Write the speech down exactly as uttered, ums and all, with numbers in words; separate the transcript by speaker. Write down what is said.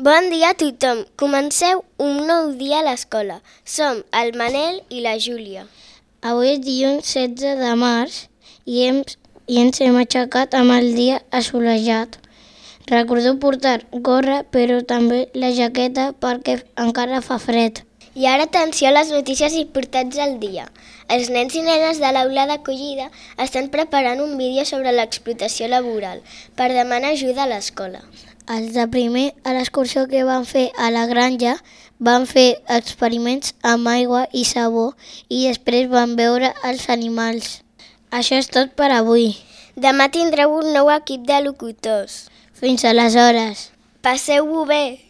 Speaker 1: Bon dia a tothom. Comenceu un nou dia a l'escola. Som el Manel i la Júlia.
Speaker 2: Avui és dilluns setze de març i, hem, i ens hem aixecat amb el dia assolellat. Recordeu portar gorra, però també la jaqueta perquè encara fa fred.
Speaker 1: I ara atenció a les notícies importants del dia. Els nens i nenes de l'aula d'acollida estan preparant un vídeo sobre l'explotació laboral per demanar ajuda a l'escola.
Speaker 2: Els de primer, a l'excursió que van fer a la granja, van fer experiments amb aigua i sabó i després van veure els animals. Això és tot per avui.
Speaker 1: Demà tindreu un nou equip de locutors.
Speaker 2: Fins aleshores.
Speaker 1: Passeu-ho bé!